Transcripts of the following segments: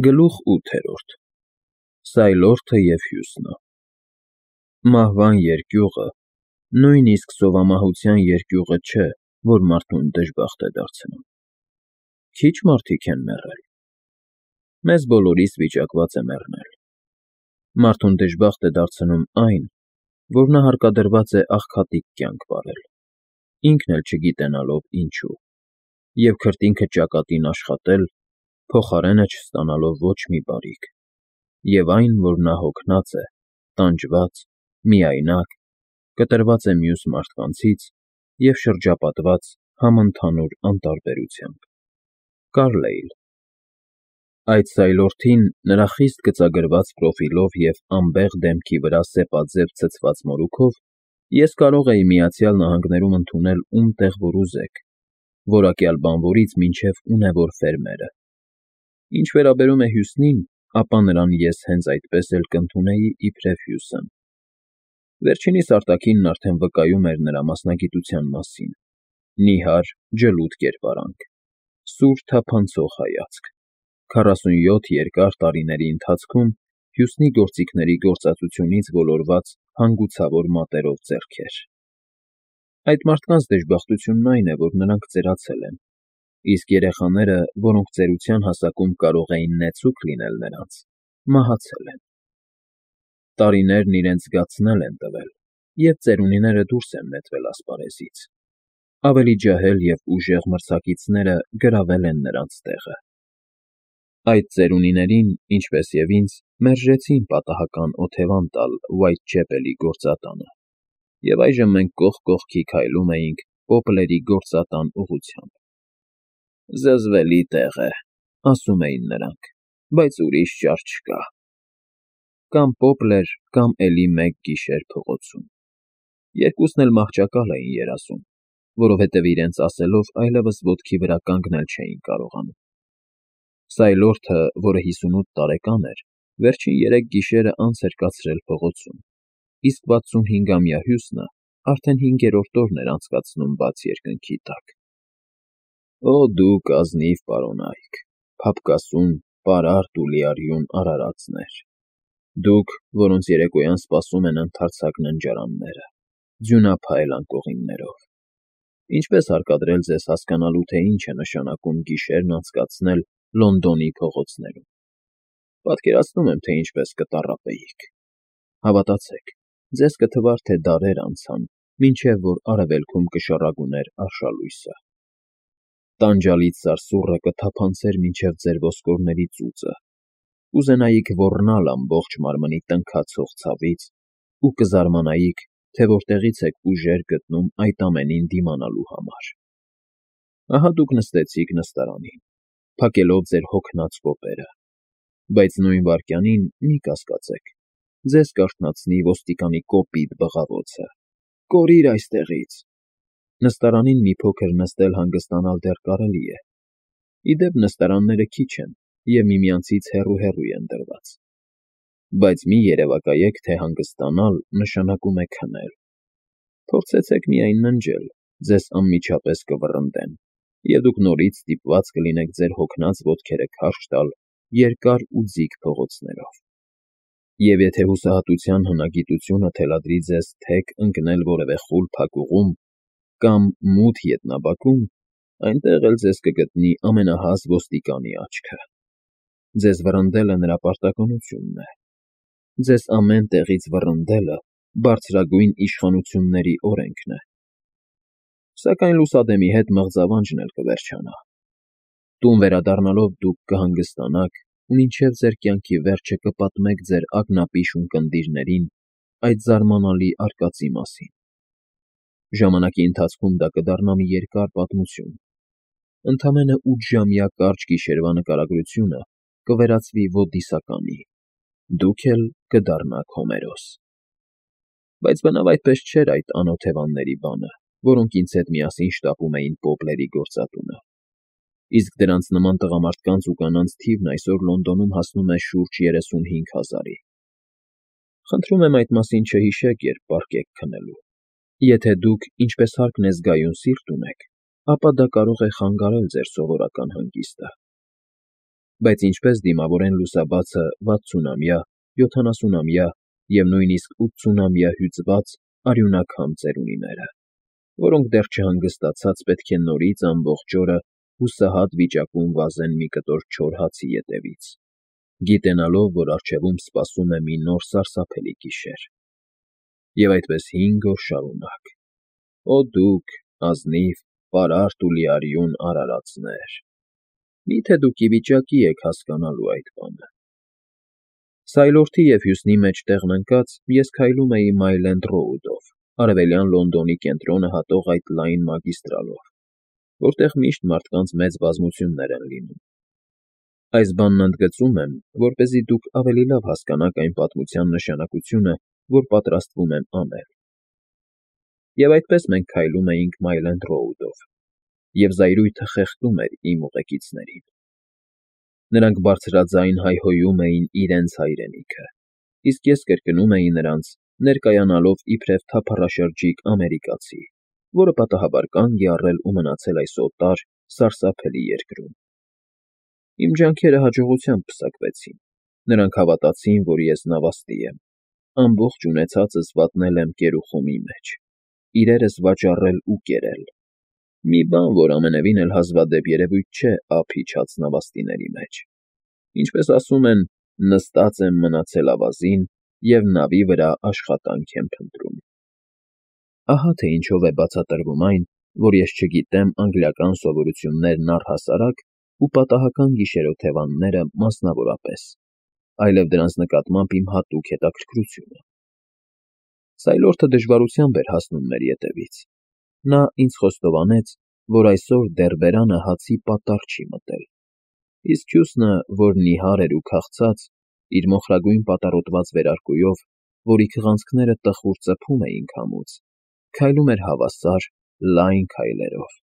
Գլուխ 8 Սայլորթը և Հյուսնը Մահվան երկյուղը, նույնիսկ սովամահության երկյուղը չէ, որ մարդուն դժբախտ է դարձնում. Քիչ մարդիկ են մեռել, մեզ բոլորիս վիճակված է մեռնել, մարդուն դժբախտ է դարձնում այն, որ նա հարկադրված է աղքատիկ կյանք վարել, ինքն էլ չգիտենալով ինչու, և քրտինքը ճակատին աշխատել, փոխարենը չստանալով ոչ մի բարիք, և այն, որ նա հոգնած է, տանջված, միայնակ, կտրված է մյուս մարդկանցից և շրջապատված համընդհանուր անտարբերությամբ։ Կարլեյլ Այդ սայլորթին նրա խիստ գծագրված պրոֆիլով և անբեղ դեմքի վրա սեպաձև ցցված մորուքով ես կարող էի Միացյալ Նահանգներում ընդունել ում տեղ որ ուզեք, որակյալ բանվորից մինչև ունևոր ֆերմերը։ Ինչ վերաբերում է Հյուսնին, ապա նրան ես հենց այդպես էլ կընդունեի իբրև Հյուսն։ Վերջինիս արտաքինն արդեն վկայում էր նրա մասնագիտության մասին՝ նիհար, ջլուդ կերպարանք, սուր թափանցող հայացք, 47 երկար տարիների ընթացքում Հյուսնի գործիքների գործածությունից ոլորված հանգուցավոր մատերով ձեռքեր։ Այդ մարդկանց դժբախտությունն այն է, որ նրանք ծերացել են, իսկ երեխաները, որոնք ծերության հասակում կարող էին նեցուկ լինել նրանց, մահացել են։ Տարիներն իրենց զգացնել են տվել, և ծերունիները դուրս են նետվել ասպարեզից, ավելի ջահել և ուժեղ մրցակիցները գրավել են նրանց տեղը։ Այդ ծերունիներին, ինչպես և ինձ, մերժեցին պատահական օթևան տալ Ուայթչեպելի գործատանը, և այժմ մենք կողք կողքի քայլում էինք Պոպլերի գործատան ուղղությամբ։ «Զզվելի տեղ է,֊ ասում էին նրանք,֊ բայց ուրիշ ճար չկա»։ Կամ Պոպլեր, կամ էլի մեկ գիշեր փողոցում։ Երկուսն էլ մահճակալ էին երազում, որովհետև իրենց ասելով այլևս ոտքի վրա կանգնել չէին կարողանում։ Սայլորթը, որը 58 տարեկան էր, վերջին 3 գիշերը անց էր կացրել փողոցում, իսկ 65-ամյա Հյուսնը արդեն 5-րդ օրն էր անցկացնում բաց երկնքի տակ։ Օ դուք ազնիվ պարոնայք, փափկասուն, պարարտ ու լիարյուն արարածներ, դուք, որոնց երեկոյան սպասում են ընդարձակ ննջարանները, ձյունափայլ անկողիններով, ինչպե՞ս հարկադրել ձեզ հասկանալու, թե ինչ է նշանակում գիշերն անցկացնել Լոնդոնի փողոցներում։ Պատկերացնում եմ, թե ինչպես կտառապեիք։ Հավատացեք, ձեզ կթվար, թե դարեր անցան, մինչև որ արևելքում կշառագուներ արշալույսը։ Տանջալից սարսուռը կթափանցեր մինչև ձեր ոսկորների ծուծը, կուզենայիք ոռնալ ամբողջ մարմնի տնքացող ցավից ու կզարմանայիք, թե որտեղից եք ուժեր գտնում այդ ամենին դիմանալու համար։ Ահա դուք նստեցիք նստարանին, փակելով ձեր հոգնած կոպերը, բայց նույն վայրկյանին մի կասկածեք, ձեզ կարթնացնի ոստիկանի կոպիտ բղավոցը. «Կորիր այստեղից»։ Նստարանին մի փոքր նստել հանգստանալ դեռ կարելի է։ Ի դեպ, նստարանները քիչ են և միմյանցից հեռու են դրված։ Բայց մի երևակայեք, թե հանգստանալ նշանակում է քնել։ Փորձեցեք միայն ննջել, ձեզ անմիջապես կվռնդեն, և դուք նորից ստիպված կլինեք ձեր հոգնած ոտքերը քարշ տալ երկար ու ձիգ փողոցներով։ Եվ եթե հուսահատության հնագիտությունը թելադրի ձեզ թեք ընկնել որևէ խուլ փակուղում կամ մութ ետնաբակում, այնտեղ էլ ձեզ կգտնի ամենահազ ոստիկանի աչքը։ Ձեզ վռնդելը նրա պարտականությունն է։ Ձեզ ամեն տեղից վռնդելը բարձրագույն իշխանությունների օրենքն է։ Սակայն լուսադեմի հետ մղձավանջն էլ կվերջանա։ Տուն վերադառնալով դուք կհանգստանաք ու մինչև ձեր կյանքի վերջը կպատմեք ձեր ակնապիշ ունկնդիրներին այդ զարմանալի արկածի մասին։ Ժամանակի ընթացքում դա կդառնա մի երկար պատմություն։ Ընդամենը 8-ժամյա կարճ գիշերվա նկարագրությունը կվերածվի ոդիսականի, դուք էլ կդառնաք Հոմերոս։ Բայց բնավ այդպես չէր այդ անօթևանների բանը, որոնք ինձ հետ միասին շտապում էին Պոպլերի գործատունը։ Իսկ դրանց նման տղամարդկանց ու կանանց թիվն այսօր Լոնդոնում հասնում է շուրջ 35,000-ի։ Խնդրում եմ այդ մասին չհիշեք, երբ պառկեք քնելու։ Եթե դուք, ինչպես հարկն է զգայուն, սիրտ ունեք, ապա դա կարող է խանգարել ձեր սովորական հանգիստը։ Բայց ինչպես դիմավորեն լուսաբացը 60-ամյա, 70-ամյա և նույնիսկ 80-ամյա հյուծված արյունակամ ծերունիները, որոնք դեռ չհանգստացած պետք է նորից ամբողջ օրը հուսահատ վիճակում վազեն մի կտոր չոր հացի ետևից, գիտենալով, որ առջևում սպասում է մի նոր սարսափելի գիշեր։ Եվ այդպես 5 օր շարունակ։ Օ դուք, ազնիվ, պարարտ ու լիարյուն արարածներ, մի՞թե դուք ի վիճակի եք հասկանալու այդ բանը։ Սայլորթի և Հյուսնի մեջտեղն ընկած ես քայլում էի Մայլենդ Ռոուդով, արևելյան Լոնդոնի կենտրոնը հատող այդ լայն մագիստրալով, որտեղ միշտ մարդկանց մեծ բազմություններ են լինում։ Այս բանն ընդգծում եմ, որպեսզի դուք ավելի լավ հասկանաք այն պատմության նշանակությունը, որ պատրաստվում եմ անել։ Եվ այդպես մենք քայլում էինք Մայլենդ Ռոուդով, և զայրույթը խեղդում էր իմ ուղեկիցներին։ Նրանք բարձրաձայն հայհոյում էին իրենց հայրենիքը, իսկ ես կրկնում էի նրանց, ներկայանալով իբրև թափառաշրջիկ ամերիկացի, որը պատահաբար կանգ է առել ու մնացել այս օտար, սարսափելի երկրում։ Իմ ջանքերը հաջողությամբ պսակվեցին։ Նրանք հավատացին, որ ես նավաստի եմ, ամբողջ ունեցածս վատնել եմ կերուխումի մեջ, իրերս վաճառել ու կերել։ Մի բան, որ ամենևին էլ հազվադեպ երևույթ չէ ափ իջած նավաստիների մեջ։ Ինչպես ասում են, նստած եմ մնացել ավազին և նավի վրա աշխատանք եմ փնտրում։ Ահա թե ինչով է բացատրվում այն, որ ես չգիտեմ անգլիական սովորություններն առհասարակ ու պատահական գիշերօթևանները մասնավորապես, այլև դրանց նկատմամբ իմ հատուկ հետաքրքրությունը։ Սայլորթը դժվարությամբ էր հասնում մեր ետևից։ Նա ինձ խոստովանեց, որ այսօր դեռ բերանը հացի պատառ չի մտել, իսկ Հյուսնը, որ նիհար էր ու քաղցած, իր մոխրագույն պատառոտված վերարկուով, որի քղանցքները տխուր ծփում էին քամուց, քայլում էր հավասար, լայն քայլերով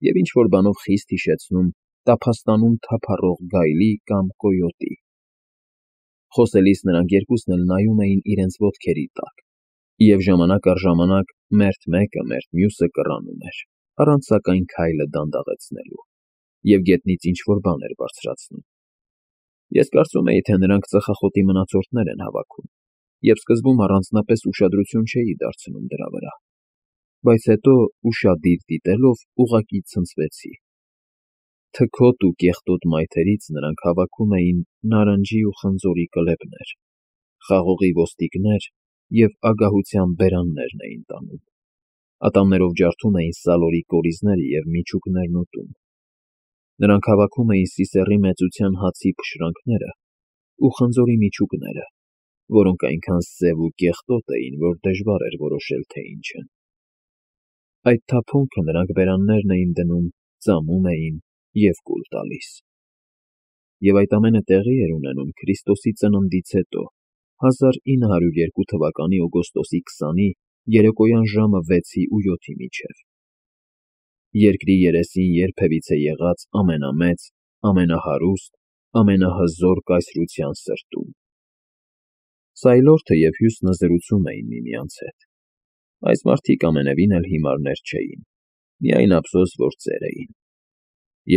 և ինչ-որ բանով խիստ հիշեցնում տափաստանում թափառող գայլի կամ կոյոտի։ Խոսելիս նրանք երկուսն էլ նայում էին իրենց ոտքերի տակ, և ժամանակ առ ժամանակ մերթ մեկը, մերթ մյուսը կռանում էր, առանց սակայն քայլը դանդաղեցնելու, և գետնից ինչ-որ բան էր բարձրացնում։ Ես կարծում էի, թե նրանք ծխախոտի մնացորդներ են հավաքում, և սկզբում առանձնապես ուշադրություն չէի դարձնում դրա վրա, բայց հետո, ուշադիր դիտելով, ուղղակի ցնցվեցի։ Թքոտ ու կեղտոտ մայթերից նրանք հավաքում էին նարնջի ու խնձորի կլեպներ, խաղողի ոստիկներ և ագահության բերաններն էին տանում, ատամներով ջարդում էին սալորի կորիզները և միջուկներն ուտում։ Նրանք հավաքում էին սիսեռի մեծության հացի փշրանքները ու խնձորի միջուկները, որոնք այնքան սև ու կեղտոտ էին, որ դժվար էր որոշել, թե ինչ են։ Այդ թափոնքը նրանք բերաններն էին դնում, ծամում էին և կուլ տալիս։ Եվ այդ ամենը տեղի էր ունենում Քրիստոսի ծննդից հետո, 1902 թվականի օգոստոսի 20-ի երեկոյան ժամը 6-ի ու 7-ի միջև։ Երկրի երեսին երբևիցե եղած ամենամեծ, ամենահարուստ, ամենահզոր կայսրության սրտում։ Սայլորթը և Հյուսնը զրուցում էին միմյանց հետ։ Այս մարդիկ ամենևին էլ հիմարներ չէին, միայն ափսոս, որ ծեր էին։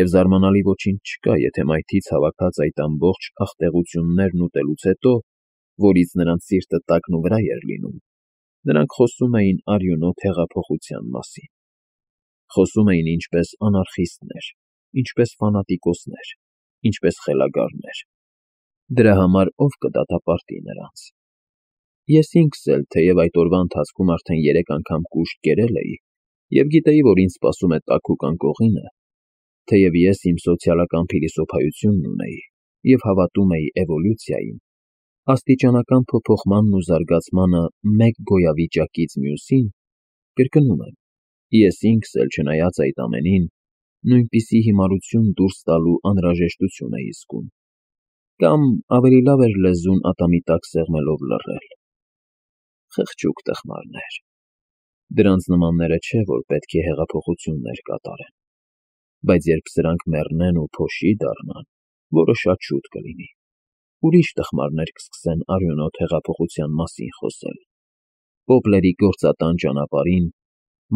Եվ զարմանալի ոչինչ չկա, եթե մայթից հավաքած այդ ամբողջ աղտեղություններն ուտելուց հետո, որից նրանց սիրտը տակն ու վրա էր լինում, նրանք խոսում էին արյունոտ հեղափոխության մասին։ Խոսում էին ինչպես անարխիստներ, ինչպես ֆանատիկոսներ, ինչպես խելագարներ։ Դրա համար ով կդատապարտի նրանց։ Ես ինքս էլ, թեև այդ օրվա ընթացքում արդեն 3 անգամ կուշտ կերել էի և գիտեի, որ ինձ սպասում է տաքուկ անկողինը, թեև ես իմ սոցիալական փիլիսոփայությունն ունեի և հավատում էի էվոլյուցիային, աստիճանական փոփոխմանն ու զարգացմանը մեկ գոյավիճակից մյուսին, կրկնում եմ, ես ինքս էլ, չնայած այդ ամենին, նույնպիսի հիմարություն դուրս տալու անհրաժեշտություն էի զգում, կամ ավելի լավ էր լեզուն ատամի տակ սեղմելով լռել։ Խղճուկ տխմարներ։ Դրանց նմանները չէ, որ պետք է հեղափոխություններ կատարեն, բայց երբ սրանք մեռնեն ու փոշի դառնան, որը շատ շուտ կլինի, ուրիշ տխմարներ կսկսեն արյունոտ հեղափոխության մասին խոսել, պոպլերի գործատան ճանապարհին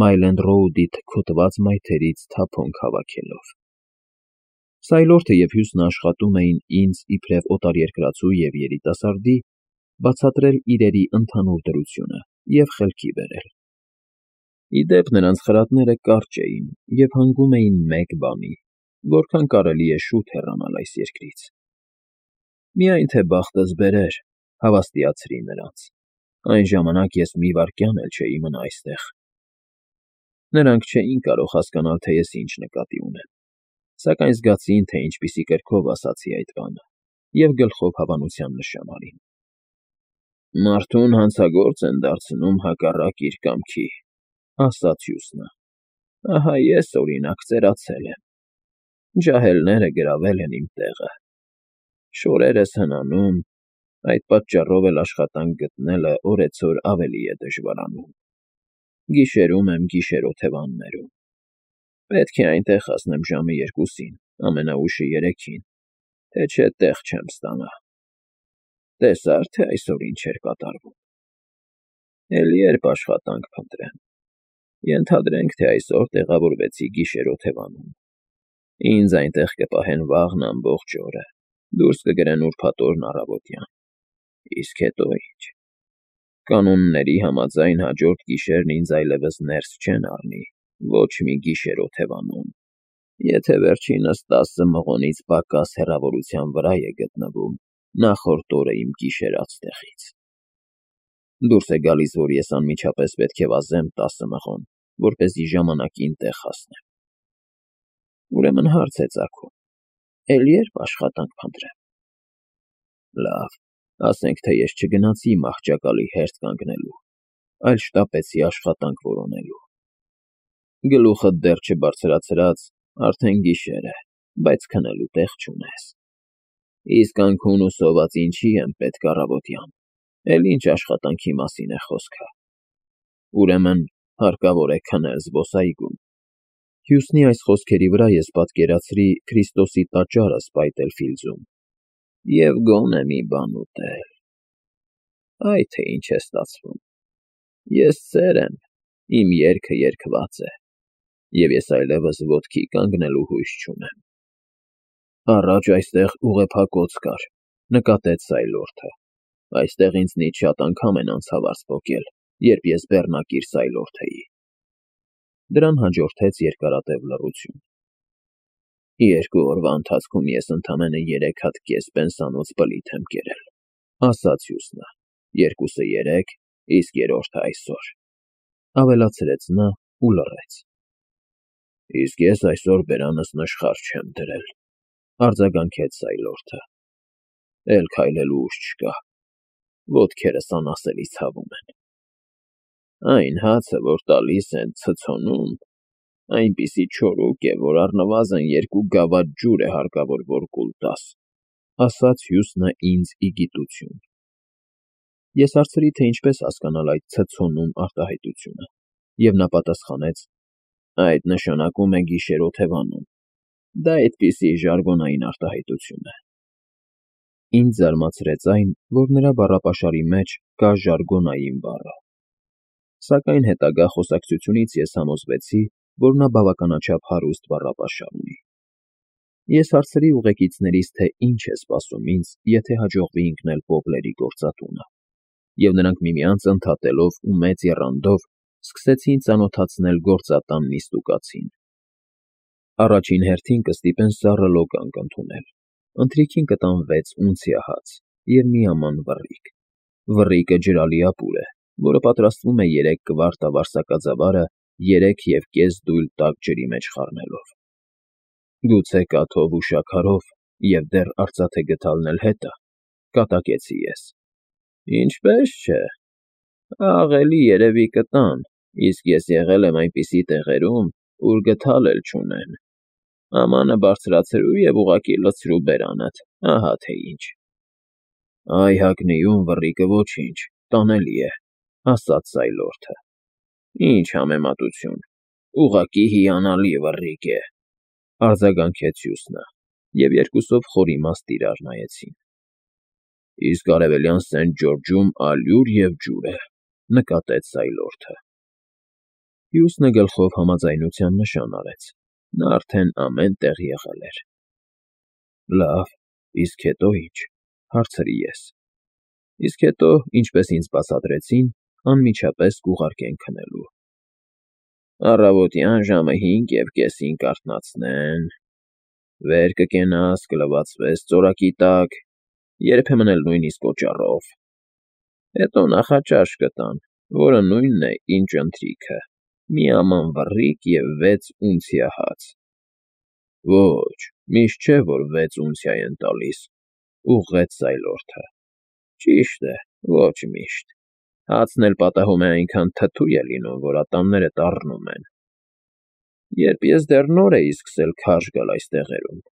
Մայլենդ Ռոուդի թքոտված մայթերից թափոնք հավաքելով։ Սայլորդը և Հյուսն աշխատում էին ինձ իբրև օտարերկրացու և երիտասարդի բացատրել իրերի ընդհանուր դրությունը և խելքի բերել։ Ի դեպ, նրանց խրատները կարճ էին և հանգում էին մեկ բանի, որքան կարելի է շուտ հեռանալ այս երկրից։ Միայն թե բախտս բերեր, հավաստիացրի նրանց, այն ժամանակ ես մի վայրկյան էլ չէի մնա այստեղ։ Նրանք չէին կարող հասկանալ, թե ես ինչ նկատի ունեմ, սակայն զգացին, թե ինչպիսի կրքով ասացի այդ բանը, և գլխով հավանության նշան արին։ Մարդուն հանցագործ են դարձնում հակառակ իր կամքի, ասաց Հյուսնը։ Ահա ես, օրինակ, ծերացել եմ։ Ջահելները գրավել են իմ տեղը։ Շորերս հնանում, այդ պատճառով էլ աշխատանք գտնելը օրեցօր ավելի է դժվարանում։ Գիշերում եմ գիշերօթևաններում։ Պետք է այնտեղ հասնեմ ժամը 2-ին, ամենաուշը 3-ին, թե չէ տեղ չեմ ստանա։ Տեսա՞ր, թե այսօր ինչ էր կատարվում։ Էլի երբ աշխատանք փնտրեմ։ Ենթադրենք, թե այսօր տեղավորվեցի գիշերօթևանում։ Ինձ այնտեղ կպահեն վաղն ամբողջ օրը, դուրս կգրեն ուրբաթ օրն առավոտյան։ Իսկ հետո ինչ։ Կանոնների համաձայն հաջորդ գիշերն ինձ այլևս ներս չեն առնի ոչ մի գիշերօթևանում, եթե վերջինս 10 մղոնից պակաս հեռավորության վրա է գտնվում նախորդ օրը իմ գիշերած տեղից։ Դուրս է գալիս, որ ես անմիջապես պետք է վազեմ 10 մղոն, որպեսզի ժամանակին տեղ հասնեմ։ Ուրեմն հարց է ծագում. էլի երբ աշխատանք փնտրեմ։ Լավ, ասենք, թե ես չգնացի մահճակալի հերթ կանգնելու, այլ շտապեցի աշխատանք որոնելու։ Գլուխդ դեռ չբարձրացրած, արդեն գիշեր է, բայց քնելու տեղ չունես։ Իսկ անքուն ու սոված ինչի եմ պետք առավոտյան, էլ ինչ աշխատանքի մասին է խոսքը։ Ուրեմն հարկավոր է քնել զբոսայգում։ Հյուսնի այս խոսքերի վրա ես պատկերացրի Քրիստոսի տաճարը Սպայտել Ֆիլդզում և գոնե մի բան ուտել։ Այ թե ինչ է ստացվում։ Ես ծեր եմ, իմ երգը երգված է, և ես այլևս ոտքի կանգնելու հույս չունեմ։ Առաջ այստեղ ուղեփակոց կար, նկատեց Սայլորդը։ Այստեղ ինձնից շատ անգամ են անցավարձ պոկել, երբ ես բեռնակիր Սայլորդ էի։ Դրան հաջորդեց երկարատև լռություն։ 2 օրվա ընթացքում ես ընդամենը 3 հատ կես պենսանոց բլիթ եմ կերել, ասաց Հյուսնը, 2-ը 3, իսկ երրորդը այսօր, ավելացրեց նա ու լռեց։ Իսկ ես այսօր բերանս նշխար չեմ դրել, արձագանքեց Սայլորդը։ Էլ քայլելու ուժ չկա, ոտքերս անասելի ցավում են։ Այն հացը, որ տալիս են ցցոնում, այնպիսի չորուկ է, որ առնվազն 2 գավաթ ջուր է հարկավոր, որ կուլ տաս, ասաց Հյուսնը ինձ ի գիտություն։ Ես հարցրի, թե ինչպես հասկանալ այդ ցցոնում արտահայտությունը, և նա պատասխանեց. այդ նշանակում է գիշերօթևանում, դա այդպիսի ժարգոնային արտահայտություն է։ Ինձ զարմացրեց այն, որ նրա բառապաշարի մեջ կա ժարգոնային բառը։ Սակայն հետագա խոսակցությունից ես համոզվեցի, որ նա բավականաչափ հարուստ բառապաշար ունի։ Ես հարցրի ուղեկիցներից, թե ինչ է սպասում ինձ, եթե հաջողվի ընկնել Պոպլերի գործատունը, և նրանք միմյանց ընդհատելով ու մեծ եռանդով սկսեցին ծանոթացնել գործատան նիստուկացին։ Առաջին հերթին կստիպեն սառը լոկանք ընդունել, ընթրիքին կտան 6 ունցիա հաց և մի աման վռիկ։ Վռիկը ջրալի ապուր է, որը պատրաստվում է 3 կվարտա վարսակաձավարը 3,5 դույլ տաք ջրի մեջ խառնելով։ Գուցե կաթով ու շաքարով և դեռ արծաթե գդալն էլ հետը, կատակեցի ես։ Ինչպես չէ, աղելի երևի կտան, իսկ ես եղել եմ այնպիսի տեղերում, ուր գդալ էլ չունեն։ Ամանը բարձրացրու և ուղղակի լցրու բերանդ, ահա թե ինչ։ Այ Հագնիում վռիկը ոչինչ, տանելի է, ասաց Սայլորդը։ Ինչ համեմատություն, ուղղակի հիանալի վռիկ է, արձագանքեց Հյուսնը, և երկուսով խոր իմաստ իրար նայեցին։ Իսկ արևելյան Սենթ Ջորջում ալյուր և ջուր է, նկատեց Սայլորդը։ Հյուսնը գլխով համաձայնության նշան արեց, նա արդեն ամեն տեղ եղել էր։ Լավ, իսկ հետո ի՞նչ, հարցրի ես։ Իսկ հետո, ինչպես ինձ բացատրեցին, անմիջապես կուղարկեն քնելու։ Առավոտյան ժամը 5:30-ին կարթնացնեն, վեր կկենաս, կլվացվես ծորակի տակ, երբեմն էլ նույնիսկ օճառով։ Հետո նախաճաշ կտան, որը նույնն է, ինչ ընթրիքը, մի աման վռռիկ և 6 ունցիա հաց։ Ոչ, միշտ չէ, որ 6 ունցիա են տալիս, ուղղեց Սայլորթը։ Ճիշտ է, ոչ միշտ։ Հացն էլ պատահում է այնքան թթու է լինում, որ ատամներդ առնում են։ Երբ ես դեռ նոր էի սկսել քարշ գալ այս տեղերում,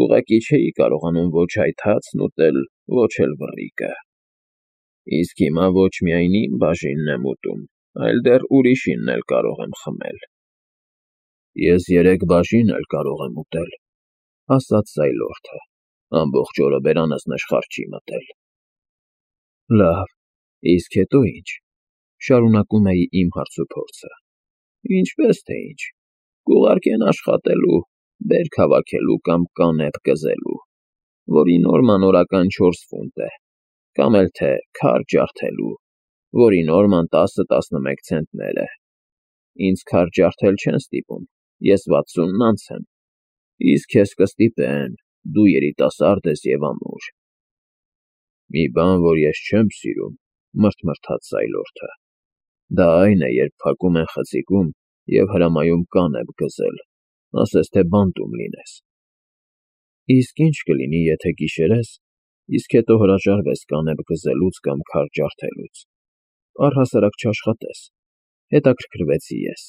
ուղղակի չէի կարողանում ոչ այդ հացն ուտել, ոչ էլ վռռիկը։ Իսկ հիմա ոչ միայն իմ բաժինն եմ ուտում, այլ դեռ ուրիշինն էլ կարող եմ խմել։ Ես 3 բաժին էլ կարող եմ ուտել, ասաց Սայլորթը, ամբողջ օրը բերանս նշխար չի մտել։ Լավ, իսկ հետո ի՞նչ, շարունակում էի իմ հարցուփորձը։ Ինչպես թե ինչ, կուղարկեն աշխատելու, բերք հավաքելու կամ կանեպ կզելու, որի նորման օրական 4 ֆունտ է, կամ էլ թե քար ջարդելու, որի նորման 10-11 ցենտներ է։ Ինձ քար ջարդել չեն ստիպում, ես 60-ն անց եմ, իսկ քեզ կստիպեն, դու երիտասարդ ես և ամուր։ Մի բան, որ ես չեմ սիրում, մրթմրթաց Սայլորթը, դա այն է, երբ փակում են խցիկում և հրամայում կանեպ գզել, ասես թե բանտում լինես։ Իսկ ինչ կլինի, եթե գիշերես, իսկ հետո հրաժարվես կանեպ գզելուց կամ քար ջարդելուց, առհասարակ չաշխատես, հետաքրքրվեցի ես։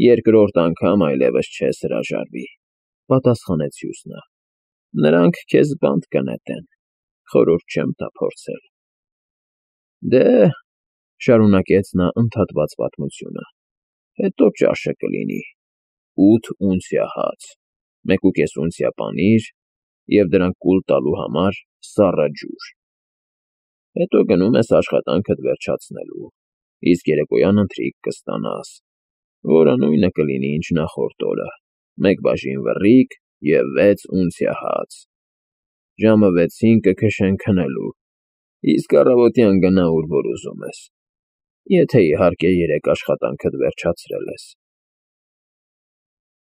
Երկրորդ անգամ այլևս չես հրաժարվի, պատասխանեց հյուսնը։ Նրանք քեզ բանտ կնետեն, խորհուրդ չեմ տա փորձել։ Դե, շարունակեց նա ընդհատված պատմությունը, հետո ճաշը կլինի 8 ունցիա հաց, 1.5 ունցիա պանիր և դրանք կուլ տալու համար սառը ջուր։ Հետո գնում ես աշխատանքդ վերջացնելու, իսկ երեկոյան ընթրիք կստանաս, որը նույնը կլինի, ինչ նախորդ օրը, 1 բաժին վռռիկ և 6 ունցիա հաց։ Ժամը 6-ին կքշեն քնելու, իսկ առավոտյան գնա ուր որ ուզում ես, եթե իհարկե երեկ աշխատանքդ վերջացրել ես։